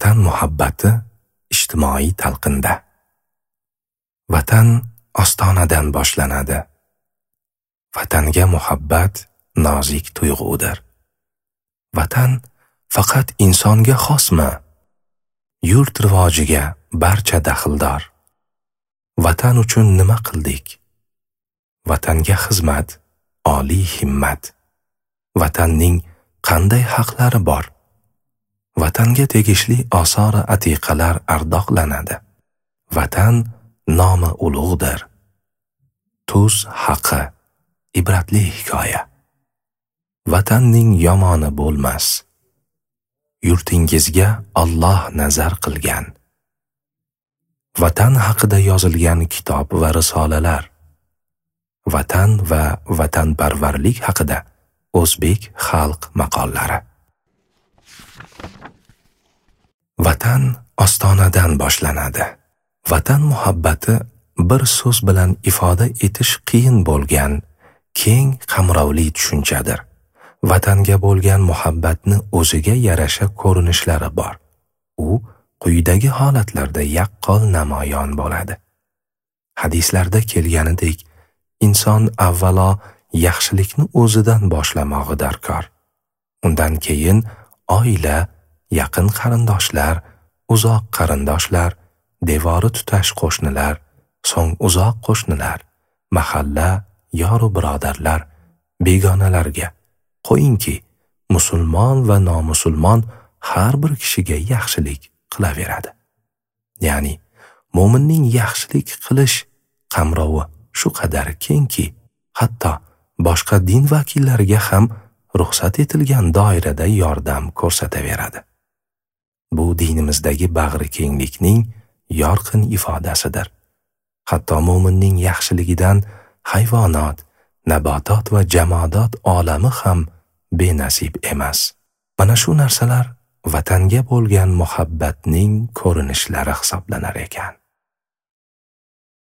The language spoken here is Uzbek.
Vatan muhabbati ijtimoiy talqinda. Vatan ostonadan boshlanadi. Vatanga muhabbat nozik tuyg'udir. Vatan faqat insonga xosmi? Yurt rivojiga barcha daxldor. Vatan uchun nima qildik? Vatanga xizmat oliy himmat. Vatanning qanday haqlari bor? Vatanga tegishli osori atiqalar ardoqlanadi. Vatan nomi ulug'dir. Tuz haqi ibratli hikoya. Vatanning yomoni bo'lmas. Yurtingizga Alloh nazar qilgan. Vatan haqida yozilgan kitob va risolalar. Vatan va vatanparvarlik haqida o'zbek xalq maqollari. Vatan ostonadan boshlanadi. Vatan muhabbati bir so'z bilan ifoda etish qiyin bo'lgan keng qamrovli tushunchadir. Vatanga bo'lgan muhabbatni o'ziga yarasha ko'rinishlari bor. U quyidagi holatlarda yaqqol namoyon bo'ladi. Hadislarda kelganidek, inson avvalo yaxshilikni o'zidan boshlamog'i darkor. Undan keyin oila, yaqin qarindoshlar, uzoq qarindoshlar, devori tutash qo'shnilar, so'ng uzoq qo'shnilar, mahalla, yoru birodarlar, begonalarga, qo'yingki, musulmon va nomusulmon har bir kishiga yaxshilik qilaveradi. Ya'ni mo'minning yaxshilik qilish qamrovi shu qadar kengki, hatto boshqa din vakillariga ham ruxsat etilgan doirada yordam ko'rsataveradi. Bu dinimizdagi bag'ri kenglikning yorqin ifodasidir. Hatto mo'minning yaxshiligidan hayvonot, nabotot va jamoadot olami ham benasib emas. Mana shu narsalar vatanga bo'lgan muhabbatning ko'rinishlari hisoblanar ekan.